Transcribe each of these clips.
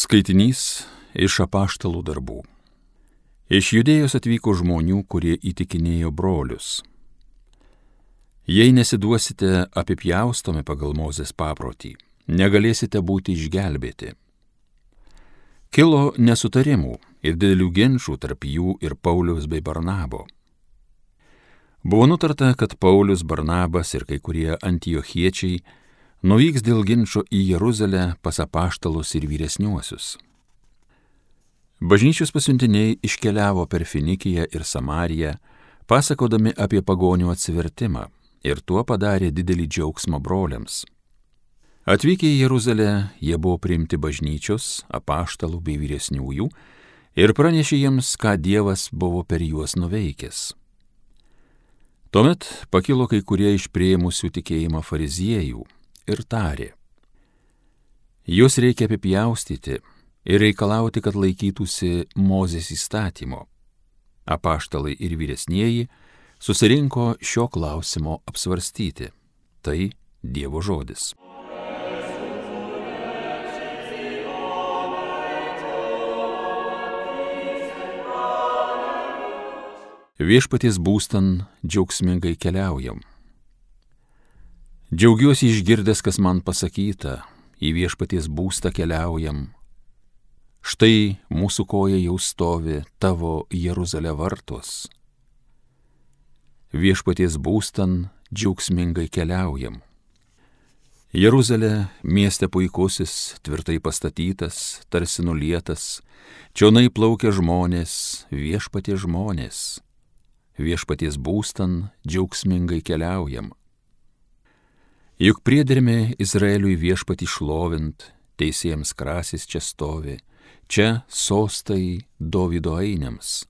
Skaitinys iš apaštalų darbų. Iš Judėjos atvyko žmonių, kurie įtikinėjo brolius. Jei nesiduosite apipjaustomi pagal Mozės paprotį, negalėsite būti išgelbėti. Kilo nesutarimų ir didelių ginčų tarp jų ir Pauliaus bei Barnabo. Buvo nutarta, kad Paulius, Barnabas ir kai kurie antiochiečiai nuvyks dėl ginčo į Jeruzalę pas apaštalus ir vyresniuosius. Bažnyčios pasiuntiniai iškeliavo per Finikiją ir Samariją, pasakodami apie pagonių atsivertimą, ir tuo padarė didelį džiaugsmą broliams. Atvykę į Jeruzalę, jie buvo priimti bažnyčios, apaštalų bei vyresniųjų ir pranešė jiems, ką Dievas buvo per juos nuveikęs. Tuomet pakilo kai kurie iš priėmusių tikėjimą fariziejų ir tarė: Jūs reikia apipjaustyti ir reikalauti, kad laikytųsi Mozės įstatymo. Apaštalai ir vyresnieji susirinko šio klausimo apsvarstyti. Tai Dievo žodis. Viešpaties būstan džiaugsmingai keliaujam. Džiaugiuosi išgirdęs, kas man pasakyta, į viešpaties būstą keliaujam. Štai mūsų koja jau stovi tavo Jeruzalė vartuos. Viešpaties būstan džiaugsmingai keliaujam. Jeruzalė mieste puikusis, tvirtai pastatytas, tarsi nulietas, čionai plaukia žmonės, viešpaties žmonės. Viešpaties būstan džiaugsmingai keliaujam. Juk priedermė Izraeliui viešpatį šlovint, teisėjams krasis čia stovi, čia sostai Dovydo ainiams.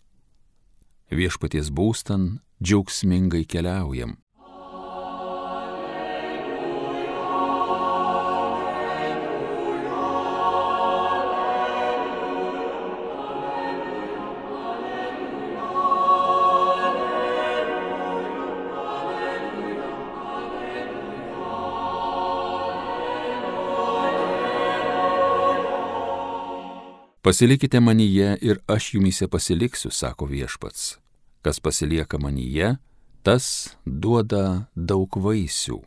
Viešpaties būstan džiaugsmingai keliaujam. Pasilikite manyje ir aš jumyse pasiliksiu, sako viešpats. Kas pasilieka manyje, tas duoda daug vaisių.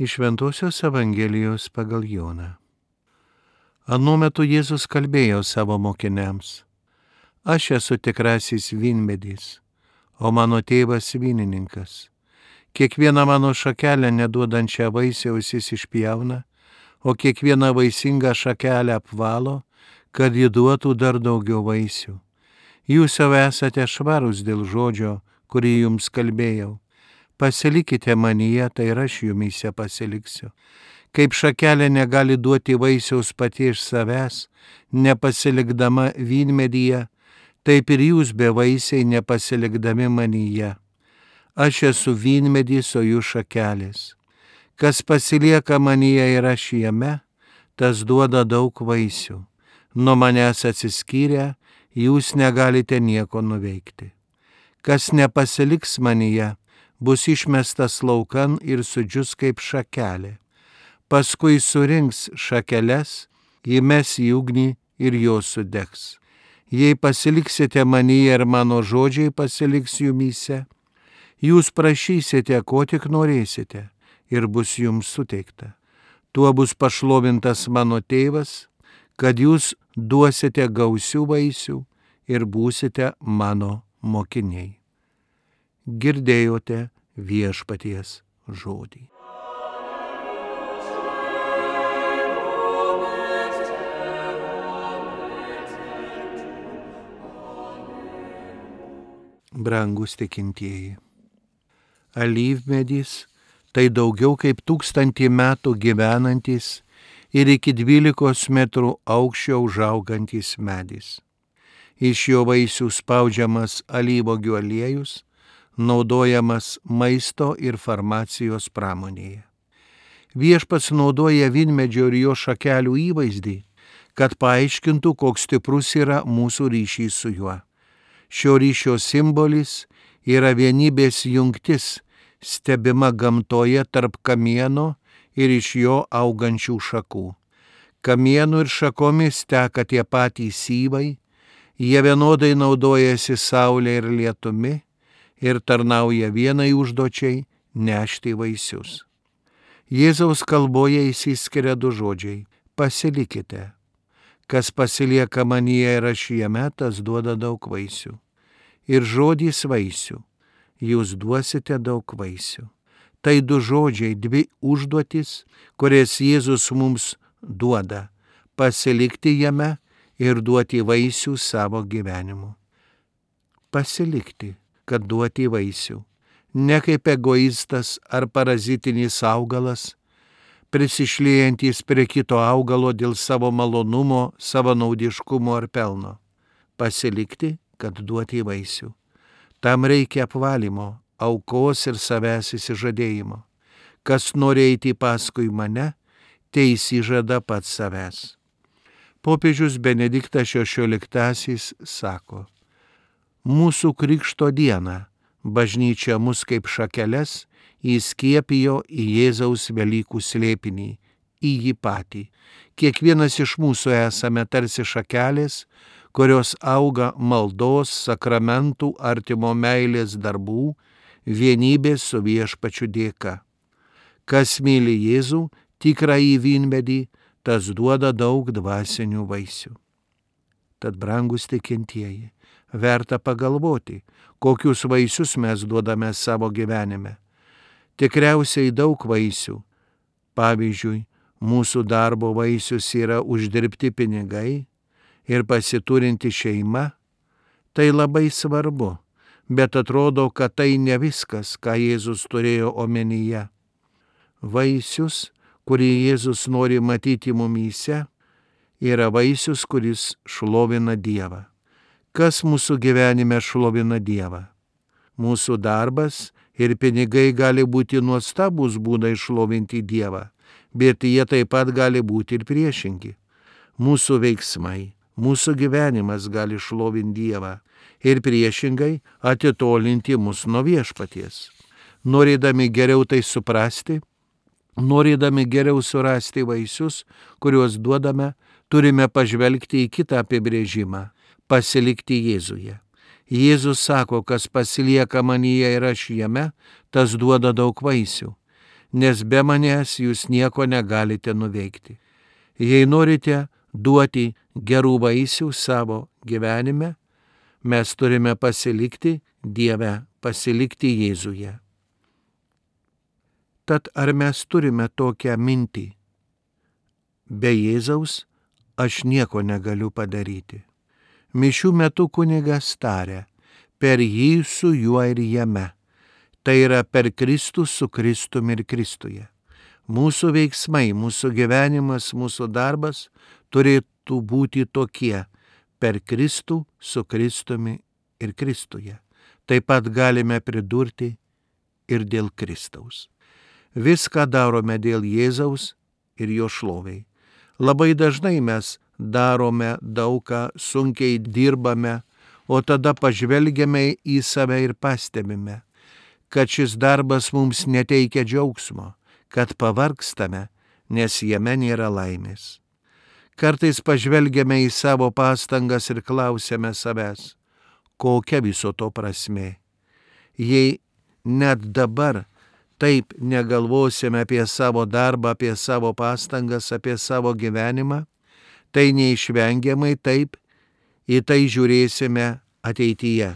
Iš Šventosios Evangelijos pagal Joną. Anu metu Jėzus kalbėjo savo mokiniams: Aš esu tikrasis vynmedis, o mano tėvas vynininkas. Kiekvieną mano šakelę neduodančią vaisiaus jis išpjauna, o kiekvieną vaisingą šakelę apvalo, kad ji duotų dar daugiau vaisių. Jūs jau esate švarūs dėl žodžio, kurį jums kalbėjau. Pasilikite manyje, tai ir aš jumyse pasiliksiu. Kaip šakelė negali duoti vaisiaus pati iš savęs, nepasilikdama vynmedyje, taip ir jūs bevaisiai nepasilikdami manyje. Aš esu vynmedys, o jūs šakelės. Kas pasilieka manyje ir aš jame, tas duoda daug vaisių. Nuo manęs atsiskyrę, jūs negalite nieko nuveikti. Kas nepasiliks manyje, bus išmestas laukan ir sudžius kaip šakelė. Paskui surinks šakeles, įmes į ugnį ir jos sudegs. Jei pasiliksite manyje ir mano žodžiai pasiliks jumyse, jūs prašysite, ko tik norėsite, ir bus jums suteikta. Tuo bus pašlovintas mano tėvas, kad jūs duosite gausių vaisių ir būsite mano mokiniai. Girdėjote viešpaties žodį. Brangus tikintieji, alyvmedis tai daugiau kaip 1000 metų gyvenantis ir iki 12 metrų aukščio užaugantis medis. Iš jo vaisių spaudžiamas alyvuogių aliejus, naudojamas maisto ir farmacijos pramonėje. Viešpats naudoja vynmedžio ir jo šakelių įvaizdį, kad paaiškintų, koks stiprus yra mūsų ryšys su juo. Šio ryšio simbolis yra vienybės jungtis, stebima gamtoje tarp kamieno ir iš jo augančių šakų. Kamienų ir šakomis teka tie patys syvai, jie vienodai naudojasi saulė ir lietumi ir tarnauja vienai užduočiai nešti vaisius. Jėzaus kalboje išsiskiria du žodžiai – pasilikite. Kas pasilieka manyje ir aš jame, tas duoda daug vaisių. Ir žodis vaisių, jūs duosite daug vaisių. Tai du žodžiai, dvi užduotis, kurias Jėzus mums duoda – pasilikti jame ir duoti vaisių savo gyvenimu. Pasilikti, kad duoti vaisių. Ne kaip egoistas ar parazitinis augalas, prisišliejantis prie kito augalo dėl savo malonumo, savanaudiškumo ar pelno. Pasilikti, kad duoti vaisių. Tam reikia apvalymo, aukos ir savęs įsižadėjimo. Kas nori eiti paskui mane, tai įsižada pats savęs. Popiežius Benediktas XVI sako, mūsų krikšto dieną bažnyčia mus kaip šakeles įskiepijo į Jėzaus Velykų slėpinį, į jį patį. Kiekvienas iš mūsų esame tarsi šakelės, kurios auga maldos, sakramentų, artimo meilės darbų, vienybės su Viešpačiu dėka. Kas myli Jėzų, tikrąjį vynmedį, tas duoda daug dvasinių vaisių. Tad, brangus tikintieji, verta pagalvoti, kokius vaisius mes duodame savo gyvenime. Tikriausiai daug vaisių. Pavyzdžiui, mūsų darbo vaisius yra uždirbti pinigai ir pasiturinti šeima. Tai labai svarbu, bet atrodo, kad tai ne viskas, ką Jėzus turėjo omenyje. Vaisius, kurį Jėzus nori matyti mumyse, yra vaisius, kuris šlovina Dievą. Kas mūsų gyvenime šlovina Dievą? Mūsų darbas ir pinigai gali būti nuostabūs būdai šlovinti Dievą, bet jie taip pat gali būti ir priešingi. Mūsų veiksmai, mūsų gyvenimas gali šlovinti Dievą ir priešingai atitolinti mus nuo Viešpaties. Norėdami geriau tai suprasti, norėdami geriau surasti vaisius, kuriuos duodame, turime pažvelgti į kitą apibrėžimą – pasilikti Jėzuje. Jėzus sako, kas pasilieka manyje ir aš jame, tas duoda daug vaisių, nes be manęs jūs nieko negalite nuveikti. Jei norite duoti gerų vaisių savo gyvenime, mes turime pasilikti Dieve, pasilikti Jėzuje. Tad ar mes turime tokią mintį? Be Jėzaus aš nieko negaliu padaryti. Mišių metu kunigas taria, per jį su juo ir jame. Tai yra per Kristų su Kristumi ir Kristuje. Mūsų veiksmai, mūsų gyvenimas, mūsų darbas turėtų būti tokie per Kristų su Kristumi ir Kristuje. Taip pat galime pridurti ir dėl Kristaus. Viską darome dėl Jėzaus ir jo šloviai. Labai dažnai mes darome daugą, sunkiai dirbame, o tada pažvelgiame į save ir pastebime, kad šis darbas mums neteikia džiaugsmo, kad pavargstame, nes jame nėra laimės. Kartais pažvelgiame į savo pastangas ir klausiame savęs, kokia viso to prasmė. Jei net dabar taip negalvosime apie savo darbą, apie savo pastangas, apie savo gyvenimą, tai neišvengiamai taip į tai žiūrėsime ateityje.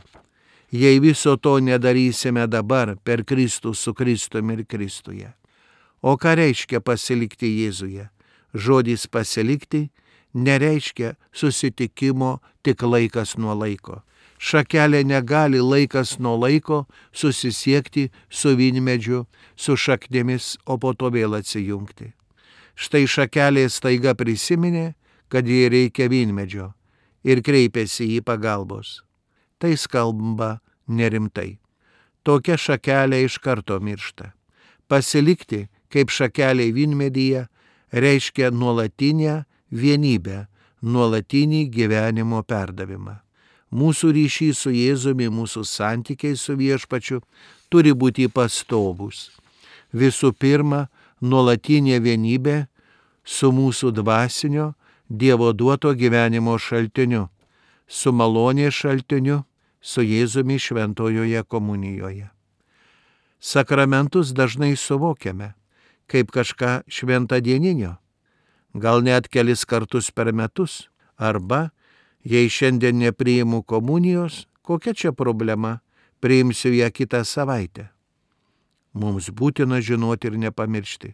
Jei viso to nedarysime dabar per Kristų su Kristumi ir Kristuje. O ką reiškia pasilikti Jėzuje? Žodis pasilikti nereiškia susitikimo tik laikas nuo laiko. Šakelė negali laikas nuo laiko susisiekti su vynmedžiu, su šaknimis, o po to vėl atsijungti. Štai šakelė staiga prisiminė, kad jai reikia vynmedžio ir kreipėsi į pagalbos. Tai skamba nerimtai. tokia šakelė iš karto miršta. Pasilikti, kaip šakeliai vynmedyje, reiškia nuolatinę vienybę, nuolatinį gyvenimo perdavimą. Mūsų ryšys su Jėzumi, mūsų santykiai su Viešpačiu turi būti pastovūs. Visų pirma, nuolatinė vienybė su mūsų dvasinio, Dievo duoto gyvenimo šaltiniu, su malonės šaltiniu, su Jėzumi šventojoje komunijoje. Sakramentus dažnai suvokiame kaip kažką šventadieninio, gal net kelis kartus per metus, arba, jei šiandien nepriimu komunijos, kokia čia problema, priimsiu ją kitą savaitę. Mums būtina žinoti ir nepamiršti,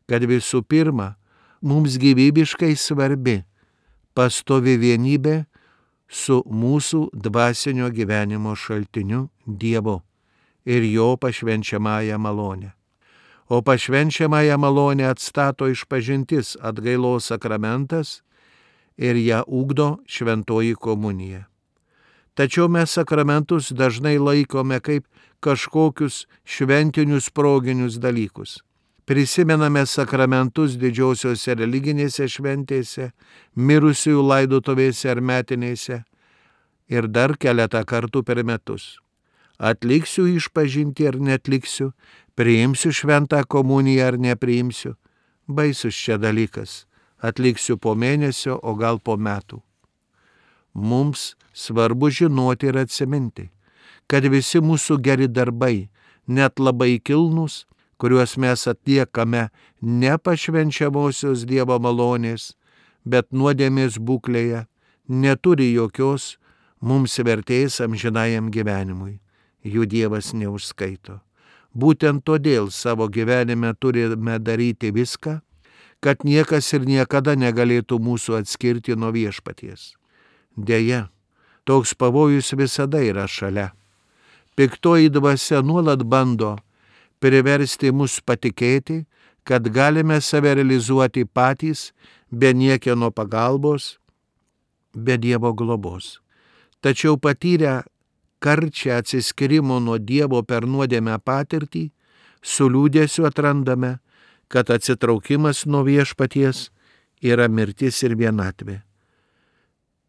kad visų pirma, mums gyvybiškai svarbi pastovi vienybė su mūsų dvasinio gyvenimo šaltiniu Dievu ir jo pašvenčiamąją malonę. O pašvenčiamąją malonę atstato išpažintis, atgailos sakramentas ir ją ugdo šventoji komunija. Tačiau mes sakramentus dažnai laikome kaip kažkokius šventinius proginius dalykus. Prisimename sakramentus didžiosiose religinėse šventėse, mirusiųjų laidotuvėse ar metinėse ir dar keletą kartų per metus. Atliksiu išpažinti ar netliksiu, priimsiu šventą komuniją ar nepriimsiu. Baisus čia dalykas. Atliksiu po mėnesio, o gal po metų. Mums svarbu žinoti ir atsiminti, kad visi mūsų geri darbai, net labai kilnūs, kuriuos mes atliekame ne pašvenčiamosios Dievo malonės, bet nuodėmės būklėje, neturi jokios mums vertės amžinajam gyvenimui. Jų Dievas neužskaito. Būtent todėl savo gyvenime turime daryti viską, kad niekas ir niekada negalėtų mūsų atskirti nuo Viešpaties. Deja, toks pavojus visada yra šalia. Piktoji dvasia nuolat bando priversti mus patikėti, kad galime save realizuoti patys, be niekieno pagalbos, be Dievo globos. Tačiau patyrę karčią atsiskyrimo nuo Dievo per nuodėmę patirtį, su liūdėsiu atrandame, kad atsitraukimas nuo Viešpaties yra mirtis ir vienatvė.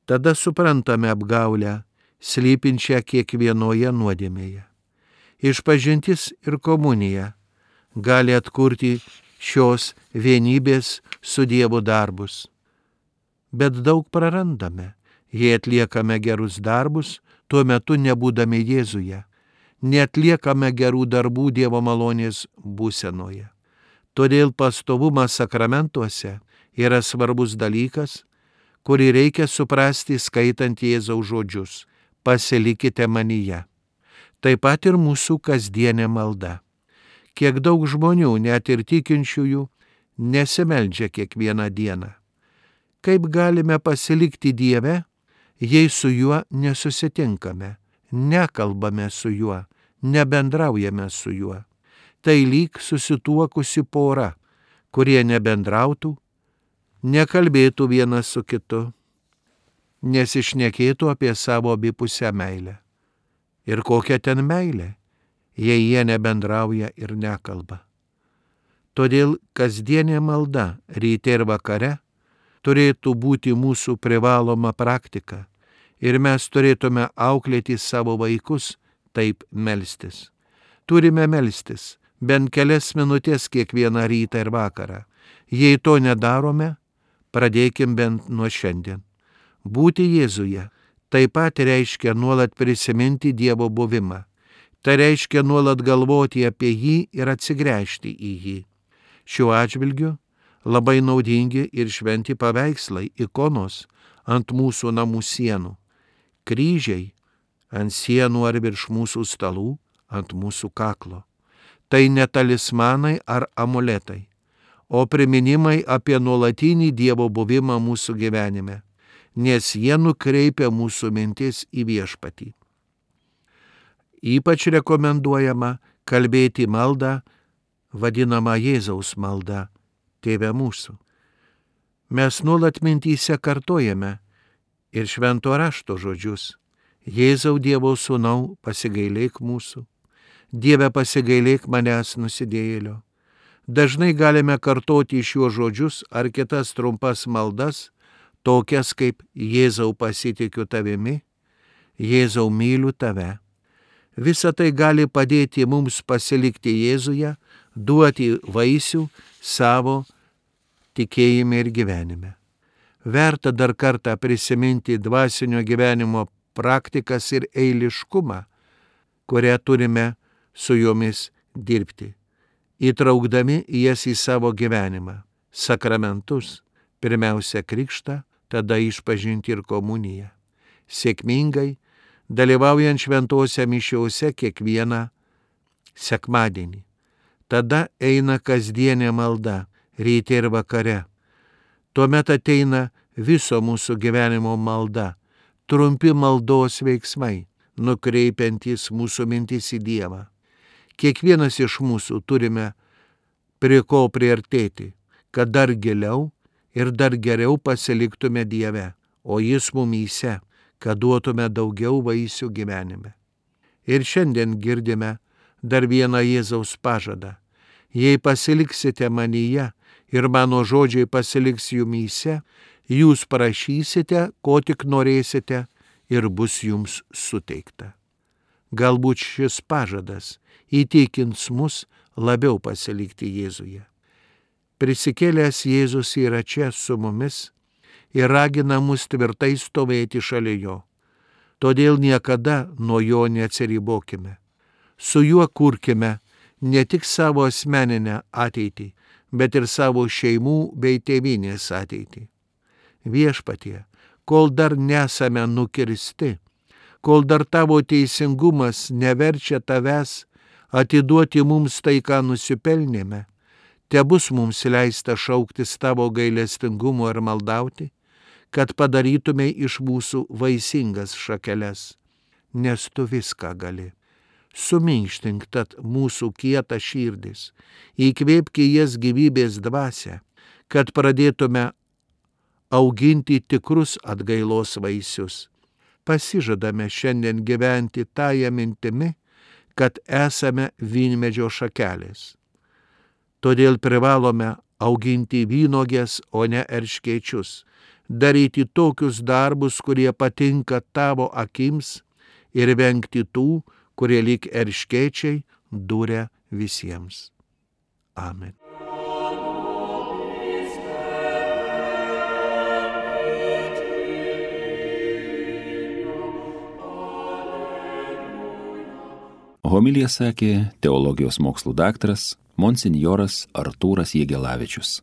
Tada suprantame apgaulę, slypinčią kiekvienoje nuodėmėje. Išpažintis ir komunija gali atkurti šios vienybės su Dievu darbus. Bet daug prarandame, jei atliekame gerus darbus, tuo metu nebūdami Jėzuje, neatliekame gerų darbų Dievo malonės būsenoje. Todėl pastovumas sakramentuose yra svarbus dalykas, kurį reikia suprasti skaitant Jėzaus žodžius: pasilikite manyje. Taip pat ir mūsų kasdienė malda. Kiek daug žmonių, net ir tikinčiųjų, nesimeldžia kiekvieną dieną. Kaip galime pasilikti Dieve, jei su juo nesusitinkame, nekalbame su juo, nebendraujame su juo? Tai lyg susituokusi pora, kurie nebendrautų, nekalbėtų vienas su kitu, nesišnekėtų apie savo abipusę meilę. Ir kokia ten meilė, jei jie nebendrauja ir nekalba. Todėl kasdienė malda ryte ir vakare turėtų būti mūsų privaloma praktika ir mes turėtume auklėti savo vaikus taip melstis. Turime melstis bent kelias minutės kiekvieną rytą ir vakarą. Jei to nedarome, pradėkim bent nuo šiandien. Būti Jėzuje taip pat reiškia nuolat prisiminti Dievo buvimą. Tai reiškia nuolat galvoti apie jį ir atsigręžti į jį. Šiuo atžvilgiu labai naudingi ir šventi paveikslai, ikonos ant mūsų namų sienų, kryžiai ant sienų ar virš mūsų stalų, ant mūsų kaklo. Tai ne talismanai ar amuletai, o priminimai apie nuolatinį Dievo buvimą mūsų gyvenime, nes jie nukreipia mūsų mintis į Viešpatį. Ypač rekomenduojama kalbėti maldą, vadinamą Jėzaus maldą, Tėve mūsų. Mes nuolat mintyse kartojame ir švento rašto žodžius: Jėzau Dievo sūnau, pasigailėk mūsų. Dieve, pasigailėk manęs nusidėjėlio. Dažnai galime kartoti šiuos žodžius ar kitas trumpas maldas, tokias kaip Jėzau pasitikiu tavimi, Jėzau myliu tave. Visa tai gali padėti mums pasilikti Jėzuje, duoti vaisių savo tikėjime ir gyvenime. Verta dar kartą prisiminti dvasinio gyvenimo praktikas ir eiliškumą, kurią turime su jomis dirbti, įtraukdami jas į savo gyvenimą, sakramentus, pirmiausia krikštą, tada išpažinti ir komuniją. Sėkmingai dalyvaujant šventose mišiose kiekvieną sekmadienį. Tada eina kasdienė malda, ryte ir vakare. Tuomet ateina viso mūsų gyvenimo malda, trumpi maldos veiksmai, nukreipiantys mūsų mintis į Dievą. Kiekvienas iš mūsų turime prie ko priartėti, kad dar giliau ir dar geriau pasiliktume Dieve, o Jis mumyse, kad duotume daugiau vaisių gyvenime. Ir šiandien girdime dar vieną Jėzaus pažadą. Jei pasiliksite manyje ir mano žodžiai pasiliks jumyse, jūs prašysite, ko tik norėsite, ir bus jums suteikta. Galbūt šis pažadas įtikins mus labiau pasilikti Jėzuje. Prisikėlęs Jėzus yra čia su mumis ir ragina mus tvirtai stovėti šalia jo. Todėl niekada nuo jo neatsiribokime. Su juo kurkime ne tik savo asmeninę ateitį, bet ir savo šeimų bei tėvynės ateitį. Viešpatie, kol dar nesame nukirsti, kol dar tavo teisingumas neverčia tavęs atiduoti mums tai, ką nusipelnėme, tebus mums leista šauktis tavo gailestingumo ir maldauti, kad padarytume iš mūsų vaisingas šakeles, nes tu viską gali. Suminkštink tad mūsų kietą širdis, įkvėpk į jas gyvybės dvasią, kad pradėtume auginti tikrus atgailos vaisius. Pasižadame šiandien gyventi tąją mintimi, kad esame vynmedžio šakelės. Todėl privalome auginti vynuogės, o ne erškėčius, daryti tokius darbus, kurie patinka tavo akims, ir vengti tų, kurie lyg erškėčiai duria visiems. Amen. Homiliją sakė teologijos mokslų daktaras monsinjoras Artūras Jegelavičius.